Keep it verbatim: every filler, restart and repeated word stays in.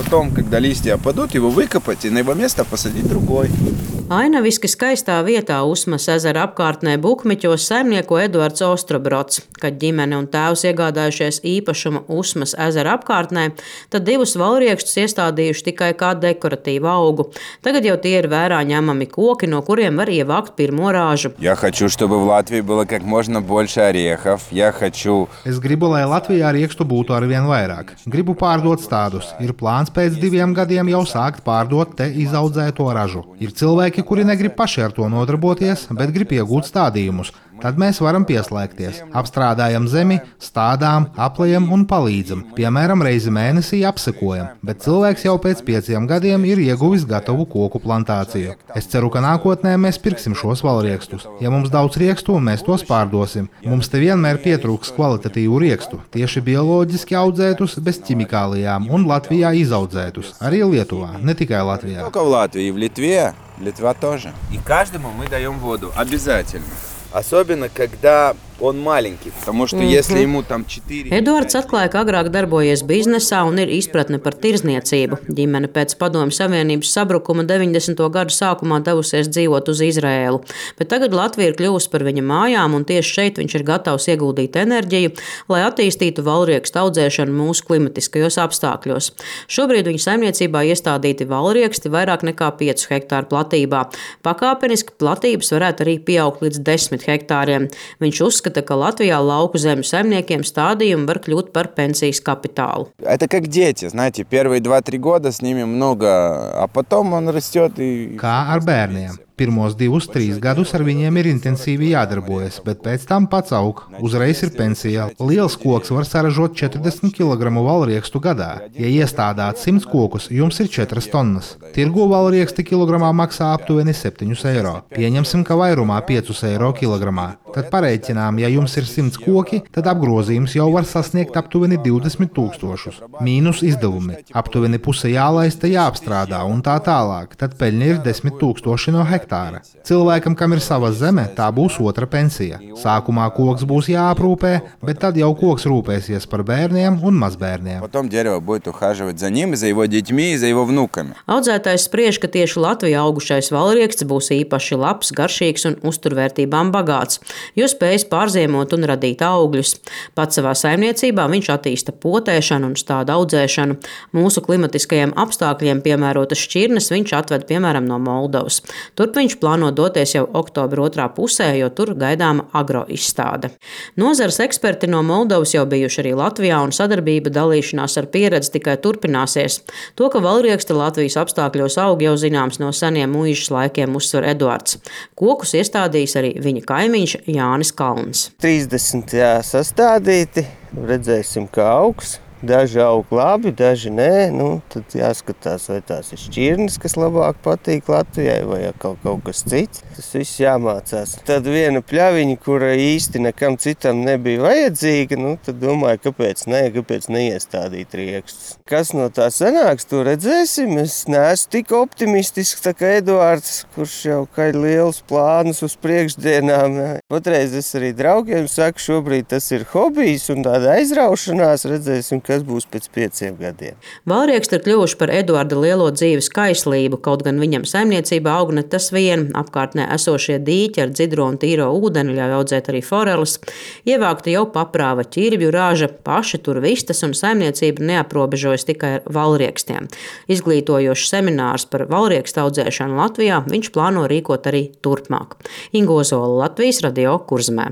потом, когда листья опадут, его выкопать и на его место посадить другой. Ainaviski skaistā vietā Usmas ezera apkārtnē Bukmiķos saimnieko Eduards Ostrobrods. Kad ģimene un tēvs iegādājušies īpašumu Usmas ezera apkārtnē, tad divus valriekšus iestādījuši tikai kā dekoratīvu augu. Tagad jau tie ir vērā ņemami koki, no kuriem var ievākt pirmo rāžu. Я хочу, чтобы в Латвии было как можно больше орехов. Я хочу... Es gribu, lai Latvijā riekstu būtu arvien vairāk. Gribu pārdot stādus. Ir plāns pēc diviem gadiem jau sākt pārdot te izaudzēto ražu. Ir cilvēki, kuri negrib paši ar to nodarboties, bet grib iegūt stādījumus. Tad mēs varam pieslēgties. Apstrādājam zemi, stādām, aplējam un palīdzam. Piemēram, reizi mēnesī apsekojam, bet cilvēks jau pēc pieciem gadiem ir ieguvis gatavu koku plantāciju. Es ceru, ka nākotnē mēs pirksim šos valriekstus. Ja mums daudz riekstu, mēs tos pārdosim. Mums te vienmēr pietrūks kvalitatīvu riekstu, tieši bioloģiski audzētus, bez ķimikālijām un Latvijā izaudzētus. Arī Lietuvā, ne tikai Latvijā. Только в Латвии, и в Литве, Литва тоже. И каждому мы даем воду, обязательно. Особенно, когда он маленький, потому что если ему там четыре... Eduards atklāja, ka agrāk darbojies biznesā un ir izpratne par tirdzniecību. Ģimene pēc Padomju Savienības sabrukuma deviņdesmito gadu sākumā devusies dzīvot uz Izraēlu, bet tagad Latvija ir kļuvusi par viņa mājām, un tieši šeit viņš ir gatavs ieguldīt enerģiju, lai attīstītu valriekstu audzēšanu mūsu klimatiskajos apstākļos. Šobrīd viņa saimniecībā iestādīti valrieksti vairāk nekā piecu hektāru platībā. Pakāpeniski platības varētu arī pieaugt līdz desmit hektāriem. Viņš uzskata, ka Latvijā lauku zemju saimniekiem stādījumi var kļūt par pensijas kapitālu. Это как дети, знаете, первые два-три года с ними много, а потом он растет и... Kā ar bērniem. Pirmos divus, trīs gadus ar viņiem ir intensīvi jādarbojas, bet pēc tam pats aug. Uzreiz ir pensija. Liels koks var saražot četrdesmit kilogramu valriekstu gadā. Ja iestādāt simts kokus, jums ir četras tonnas. Tirgo valrieksti kilogramā maksā aptuveni septiņus eiro. Pieņemsim, ka vairumā piecus eiro kilogramā. Tad pareiķinām, ja jums ir simts koki, tad apgrozījums jau var sasniegt aptuveni divdesmit tūkstošus. Mīnus izdevumi. Aptuveni puse jālaista, jāapstrādā un tā tālāk. Tad peļņa ir desmit tūkstoši no hektāra. Cilvēkam, kam ir sava zeme, tā būs otra pensija. Sākumā koks būs jāaprūpē, bet tad jau koks rūpēsies par bērniem un mazbērniem. Потом дерево будет ухаживать за ним, за его детьми и за его внуками. Audzētājs spriež, ka tieši Latvijā augušais valrieksts būs īpaši labs, garšīgs un uzturvērtībām bagāts, jo spējas pārziemot un radīt augļus. Pats savā saimniecībā viņš attīsta potēšanu un stādu audzēšanu. Mūsu klimatiskajiem apstākļiem piemērotas šķirnes viņš atved piemēram no Moldovas. Turp viņš plāno doties jau oktobra otrā pusē, jo tur gaidāma agroizstāde. Nozares eksperti no Moldovas jau bijuši arī Latvijā, un sadarbība dalīšanās ar pieredzi tikai turpināsies. To, ka valrieksti Latvijas apstākļos aug, jau zināms no seniem mūžas laikiem, uzsver Eduards. Kokus iestādījis arī viņa kaimiņš Jānis Kalns. trīsdesmit jā, sastādīti, redzēsim, kā augs. Daži aug labi, daži nē. Nu, tad jāskatās, vai tās ir šķirnes, kas labāk patīk Latvijai, vai kaut, kaut kas cits. Tas viss jāmācās. Tad viena pļaviņa, kura īsti nekam citam nebija vajadzīga, nu, tad domāju, kāpēc nē, kāpēc neiestādīt riekstus. Kas no tā sanāks, to redzēsim. Es neesmu tik optimistisks, tā kā Eduards, kurš jau kā ir liels plānus uz priekšdienām. Patreiz es arī draugiem saku, šobrīd tas ir hobijs un tāda aizraušanās, redzēsim, kas būs pēc pieciem gadiem. Valrieksti ir kļuvuši par Eduarda lielo dzīves kaislību, kaut gan viņam saimniecībā aug ne tas vien. Apkārtnē esošie dīķi ar dzidro un tīro ūdeni ļauj audzēt arī foreles. Ievākta jau paprāva ķirbju raža, paši tur vistas un saimniecība neaprobežojas tikai ar valriekstiem. Izglītojošs seminārs par valriekstu audzēšanu Latvijā viņš plāno rīkot arī turpmāk. Inga Ozola, Latvijas radio Kurzemē.